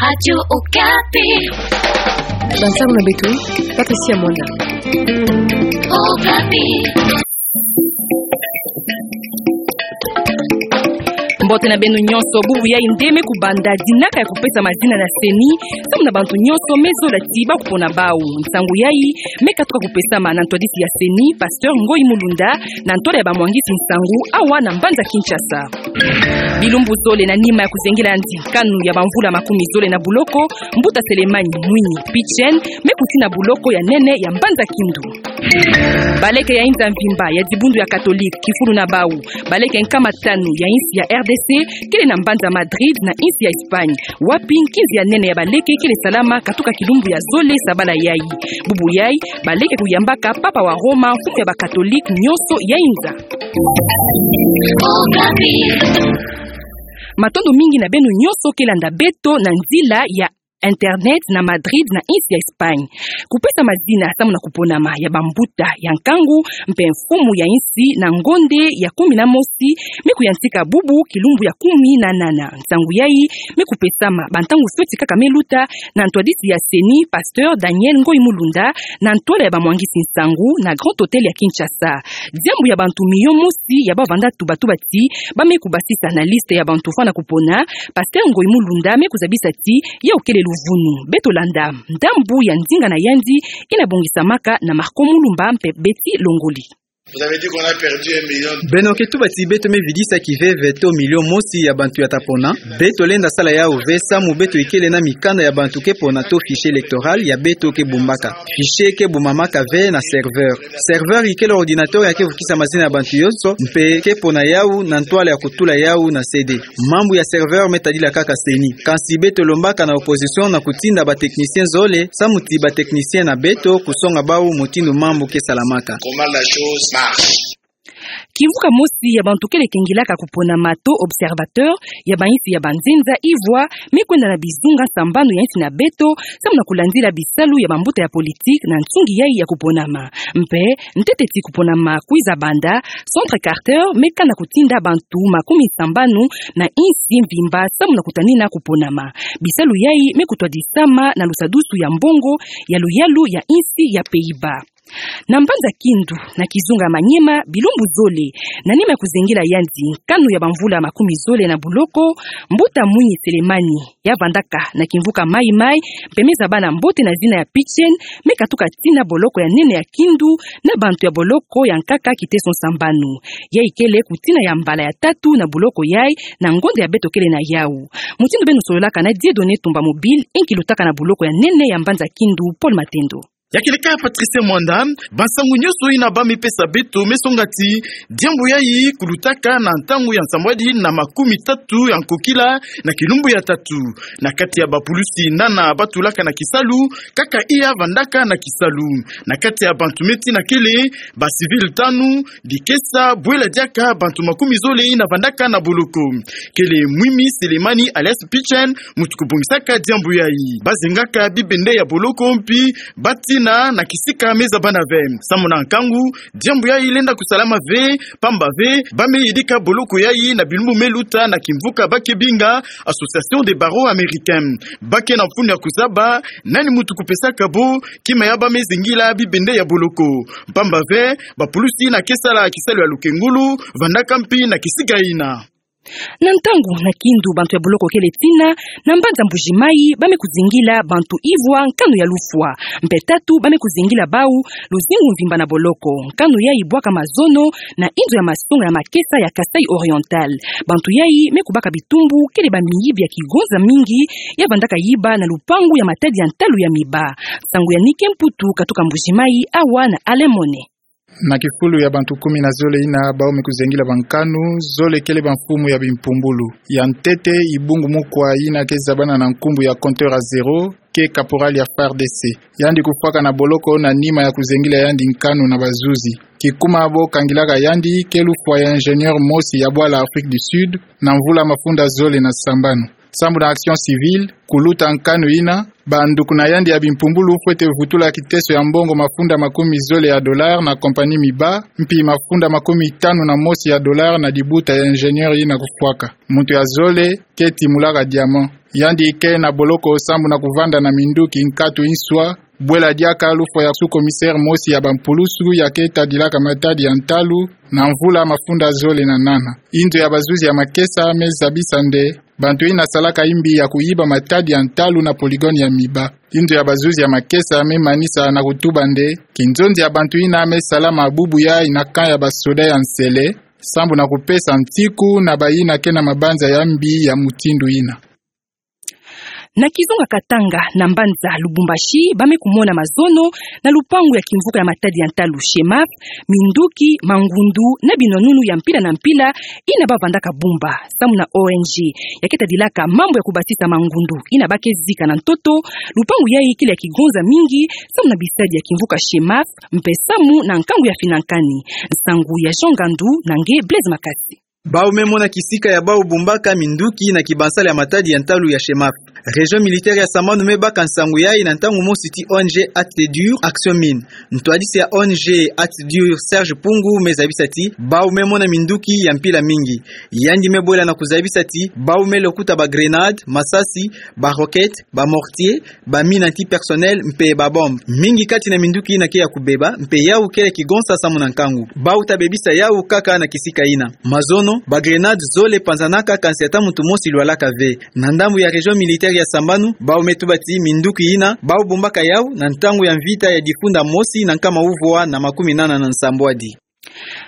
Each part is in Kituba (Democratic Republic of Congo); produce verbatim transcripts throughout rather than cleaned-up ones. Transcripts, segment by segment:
Radio Okapi. Bansangu na beto, Patricia Mwanda. Okapi. Mbote na beno nyonso, bubu yai nde me kubanda dinaka ya kupesa mazina na CENI, samu na bantu nyonso me zola ti ba kupona bau. Nsangu yai me katuka kupesama na ntwadisi ya CENI, Pasteur Ngoyi Mulunda, na ntwala ya bamwangisi nsangu awa na mbanza Kinshasa. Bilumbu zole na nima ya kuzengila yandi nkanu ya bamvula makumi zole na boloko, Mbuta Selemani Mwinyi Pichen me kutina boloko ya nene ya mbanza Kindu. Baleke ya inza mvimba ya dibundu ya Katolike kifulu na bau baleke nkama tanu ya insi ya R D C kele na mbanza Madrid na insi ya Espagne, wapi nkinzi ya nene ya baleke kele salama katuka kilumbu ya zole sabala yai. Bubu yai, baleke kuyambaka Papa wa Roma, mfumu ya Bakatolike nyonso ya inza. Matondo mingi na beno nyonso ke landa beto na nzila ya internet na Madrid na insi ya Espagne. Kupesa mazina samu na kuponama ya bambuta ya nkangu mpe mfumu ya insi na ngonde ya kumi na mosi me kuyantika bubu kilumbu ya kumi na nana. Nsangu yai me kupesama bantangu fioti kaka me luta na ntwadisi ya CENI, Pasteur Daniel Ngoyi Mulunda, na ntwala ya bamwangisi nsangu na Grand Hôtel ya Kinshasa. Diambu ya bantu miyo mosi ya bavanda tubatuba ti ba me kubasisa na liste ya bantu fwana kupona, Pasteur Ngoyi Mulunda me kuzabisa ti yau kele luvunu. Beto landa ndambu ya nzinga na yandi ina bongisamaka na Marco Mulumba mpe Betty Longoli. Vous avez dit qu'on a perdu un million. Beno ke tuba ti beto me vidisa kiveve to milio mosi ya bantu ya ta pona. Beto lenda sala yau ve samu beto ikele na mikanda ya bantu ke pona to fichier électoral ya beto ke bumbaka. Fichier ke bumamaka ve na serveur. Serveur ikele ordinateur ya ke vukisa mazina ya bantu yonso, mpe ke pona yau na ntwala ya kutula yau na C D. Mambu ya serveur me tadila kaka CENI. Kansi beto lombaka na opposition na kutinda ba technicien zole, samu ti ba technicien na beto kusonga bau mutindu mambu ke salamaka. Comment la chose marche. Kimvuka mosi ya bantu kele kengilaka kuponama to observateur ya bainsi ya banzenza ivwa me kwenda na bizunga sambanu ya insi na beto, samu na kulandila bisalu ya bambuta ya politique na nsungi yai ya kuponama. Mpe ntete ti kuponama kwiza banda, Centre Carter me kana kutinda bantu makumi sambanu na insi mvimba samu na kutanina kuponama. Bisalu yai me kutwadisama na lusadusu ya mbongo ya luyalu ya insi ya Pays-Bas. Na mbanza Kindu, na kizunga Maniema, bilumbu zole na nima ya kuzengila yandi nkanu ya bamvula makumi zole na boloko, Mbuta Mwinyi Selemani, ya vandaka na kimvuka Maï-Maï, mpe me zabana mbote na zina ya Pichen, me katuka tina boloko ya nene ya Kindu na bantu ya boloko ya nkaka kiteso sambanu. Yai kele kutina ya mbala ya tatu na boloko yai na ngonda ya beto kele na yau. Mutindu beno sololaka na Dieudonné Tumba Mobile, inki lutaka na boloko ya nene ya mbanza Kindu, Paul Matendo. Ya kele kaka Patricia Mwanda, bansangu nyonso ina ba me pesa beto me songa ti diambu yai kulutaka na ntangu ya nsambwadi na makumi tatu ya nkokila na kilumbu ya tatu. Na kati ya bapulusi nana ba tulaka na kisalu, kaka iya vandaka na kisalu. Na kati ya bantu me tina kele, ba civil tanu, dikesa bwela diaka bantu makumi zole ina vandaka na boloko. Kele Mwinyi Selemani alias Pichen, mutu kubongisaka diambu yai. Ba zengaka bibende ya boloko mpi ba tina na kisika me zabana ve. Samu na nkangu, diambu yai lenda kusalama ve, pamba ve, ba me yidika boloko yai na bilumbu me luta na kimvuka ba ke binga Association des Barreaux Américains. Ba ke na mfunu ya kuzaba nani mutu kupesaka bo kima ya ba me zengila bibende ya boloko. Pamba ve, bapulusi ina ke sala kisalu ya lukengulu, vandaka mpi na kisika ina. Na ntangu na Kindu bantu ya boloko kele tina, na mbanza Mbuji-Mayi, ba me kuzengila bantu ivwa nkanu ya lufwa. Mpe tatu ba me kuzengila bau luzingu mvimba na boloko. Nkanu yai bwaka mazono na inzo ya masonga ya makesa ya Kasaï Oriental. Bantu yai me kubaka bitumbu kele bamiyibi ya kigonza mingi, ya vandaka yiba na lupangu ya matadi ya ntalu ya miba. Nsangu ya Nike Mputu katuka Mbuji-Mayi, awa na Alain Mone. Na kifulu ya bantu kumi na zole ina bau me kuzengila bankanu, zole kele bamfumu ya bimpumbulu. Ya ntete, Ibungu Mukwa ina ke zabana na nkumbu ya Compteur à Zéro, ke caporal ya FARDC. Yandi kufwaka na boloko na nima ya kuzengila yandi nkanu na bazuzi. Kikuma bo kangilaka yandi ke lufwa ya ingénieur mosi ya bwala Afrique du Sud, na mvula mafunda zole na sambanu. Sambu na action civile, kuluta nkanu ina, banduku na yandi ya bimpumbulu fwete vutula kiteso ya mbongo mafunda makumi zole ya dollar na compagnie Miba, mpi mafunda makumi tanu na mosi ya dollar na dibuta ya ingénieur ina kufwaka. Muntu ya zole, keti Mulaka Diamant. Yandi ke na boloko sambu na kuvanda na minduki nkatu inswa, bwela diaka lufwa ya sous-commissaire mosi ya bampulusu ya ke tadilaka matadi ya ntalu na mvula mafunda zole na nana. Inzo ya bazuzi ya makesa me zabisa nde bantu ina salaka imbi ya kuyiba matadi ya ntalu na polygone ya Miba. Inzo ya bazuzi ya makesa me manisa na kutuba nde kinzonzi ya bantu ina me salama bubu yayi na camp ya basoda ya Nsele, sambu na kupesa ntiku na bayina ke na mabanza ya mbi ya mutindu ina. Na kizunga Katanga, na mbanza Lubumbashi, ba me kumona mazono na lupangu ya kimvuka ya matadi ya ntalu SHEMAF, minduki, mangundu, na binwanunu ya mpila na mpila, ina ba vandaka bumba, sambu na O N G ya ke tadilaka mambu ya kubasisa mangundu, ina ba ke zika na ntoto. Lupangu yayi kele ya kigonza mingi, sambu na bisadi ya kimvuka SHEMAF, mpe sambu na nkangu ya finankani. Nsangu ya Jean Ngandu na nge Blaise Makasi. Bau me mona kisika ya bau bumbaka minduki na kibansala ya matadi ya ntalu ya SHEMAF. Région militaire ya Sambanu me baka nsangu yayi na ntangu mosi ti O N G Acte Dur Action Mine. Ntwadisi ya O N G Acte Dur Serge Pungu me zabisa ti bau me mona minduki ya mpila mingi. Yandi me bwela na kuzabisa ti bau me lokuta ba grenades, masasi, ba roquettes, ba mortiers, ba mines antipersonnel mpe ba bombes. Mingi kati na minduki ina ke ya kubeba, mpe yau kele kigonsa sambu na nkangu. Bau ta bebisa yau kaka na kisika ina. Mazono, ba grenades zole panzanaka kansi ata muntu mosi lwalaka ve. Na ndambu ya région militaire ya Sambanu, bau me tuba ti minduki ina bau bumbaka yau na ntangu ya mvita ya difunda mosi na nkama uvwa na makumi nana na nsambwadi.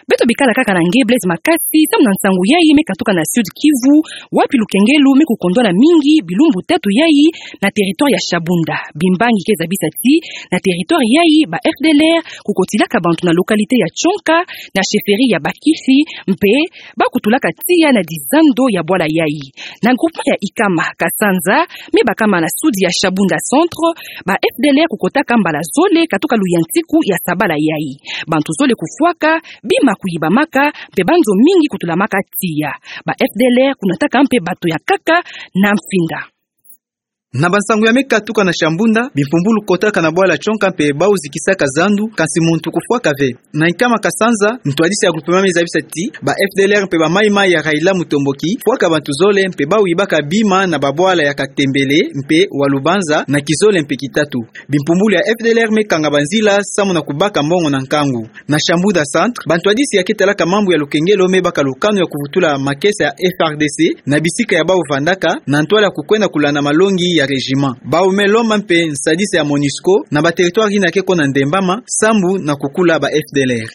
Beto bikala kaka na nge Blaise Makasi, sambu na nsangu yayi me katuka na Sud Kivu, wapi lukengelo me kukondwana mingi bilumbu tatu yayi na territoire ya Shabunda. Bimbangi ke zabisa ti na territoire yayi ba F D L R kukotilaka bantu na localité ya Tchonka, na chefferie ya Bakifi, mpe ba kutulaka tiya na dizando ya bwala yayi. Na groupement ya Ikama, Kasanza, me bakama na sud ya Shabunda Centre, ba F D L R kukotaka mbala zole katuka luyantiku ya sabala yayi. Bantu zole kufwaka, bima kuyibamaka, mpe banzo mingi kutulamaka tiya. Ba F D L R kunataka mpe bato ya nkaka na mfinda. Na bansangu ya me katuka na Shabunda, bimpumbulu kotaka na bwala Tchonka mpe bau zikisaka zandu, kansi muntu kufwaka ve. Na Ikama Kasanza, ntwadisi ya groupement me zabisa ti ba F D L R mpe ba Mai Mai ya Raila Mutomboki fwaka bantu zole mpe bau yibaka bima na babwala ya Katembele mpe Walubanza na kizole mpe kitatu. Bimpumbulu ya F D L R me kanga banzila sambu na kubaka mbongo na nkangu. Na Shabunda Centre, bantwadisi ya ke talaka mambu ya lukengelo me baka lukanu ya kuvutula makesa ya F A R D C na bisika ya bau vandaka, na ntwala ya kukwenda kulanda malongi ya régiment. Bau me lomba mpe nsadisi ya MONUSCO na ba territoire ina ke kona ndembama, sambu na kukula ba F D L R.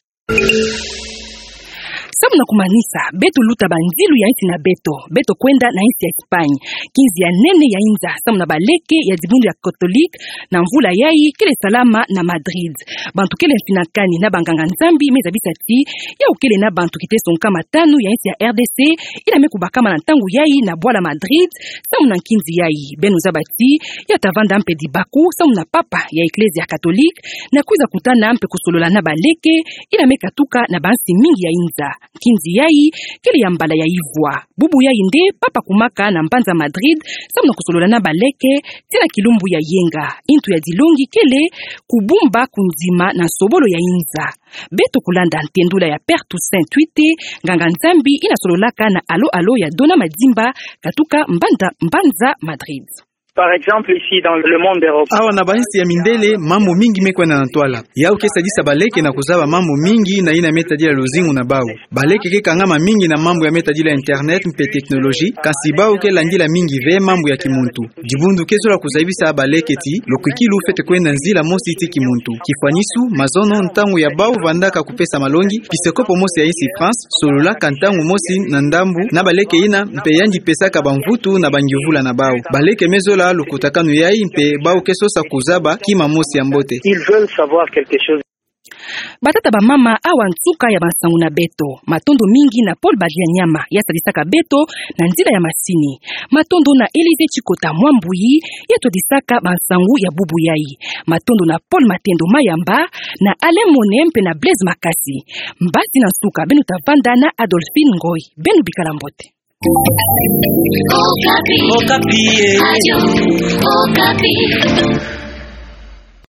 Sambu na kumanisa, beto luta banzilu ya insi na beto, beto kwenda na insi ya Espagne. Nkinzi ya nene ya inza, sambu na baleke ya dibundu ya Catholique, na mvula yayi, kele salama na Madrid. Bantu kele mfinakani na banganga-Nzambi me zabisa ti yau kele na bantu kiteso nkama tanu ya insi ya R D C ina me kubakama na ntangu yayi na bwala Madrid, sambu na nkinzi yayi. Beno zaba ti ya ta vanda mpe dibaku sambu na papa ya Eklezia Katolike, na kwiza kutana mpe kusolola na baleke ina me katuka na bansi mingi ya inza. Nkinzi yayi kele ya mbala ya ivwa. Bubu yayi nde papa akumaka na mbanza Madrid sambu na kusolola na baleke tii na kilumbu ya yenga. Intu ya dilongi kele kubumba kunzima na nsobolo ya inza. Beto kulanda ntendula ya Père Toussaint Twite, nganga-Nzambi ina sololaka na Allô Allô ya Dona Madimba, katuka mbanza, mbanza Madrid. Par exemple, ici, dans le monde d'Europe. Awa na bansi ya mindele, mambu mingi me kwenda na ntwala. Yau ke sadisa baleke na kuzaba mambu mingi na ina me tadila luzingu na bau. Baleke ke kangama mingi na mambu ya me tadila internet mpe technologie, kansi bau ke landila mingi ve mambu ya kimuntu. Dibundu ke zola kuzabisa baleke ti lukwikilu fwete kwenda nzila mosi ti kimuntu. Kifwanisu, mazono, ntangu ya bau vandaka kupesa malongi, piskopo mosi ya insi France sololaka ntangu mosi na ndambu na baleke ina, mpe yandi pesaka bamvutu na bangiuvula na bau. Baleke me zola lukutakanu yayi mpe bau ke sosa kuzaba kima mosi ya mbote. Ils veulent savoir quelque chose. Batata, bamama, awa nsuka ya bansangu na beto. Matondo mingi na Paul Badianyama, ya sadisaka beto na nzila ya masini. Matondo na Élisée Tshikota Mwambuyi, ya twadisaka bansangu ya bubu yayi. Matondo na Paul Matendo Mayamba, na Alain Mone mpe na Blaise Makasi. Mbasi na nsuka, beno ta vanda na Adolphine Ngoy. Beno bikala mbote. Okapi. Okapi, eh. Radio Okapi.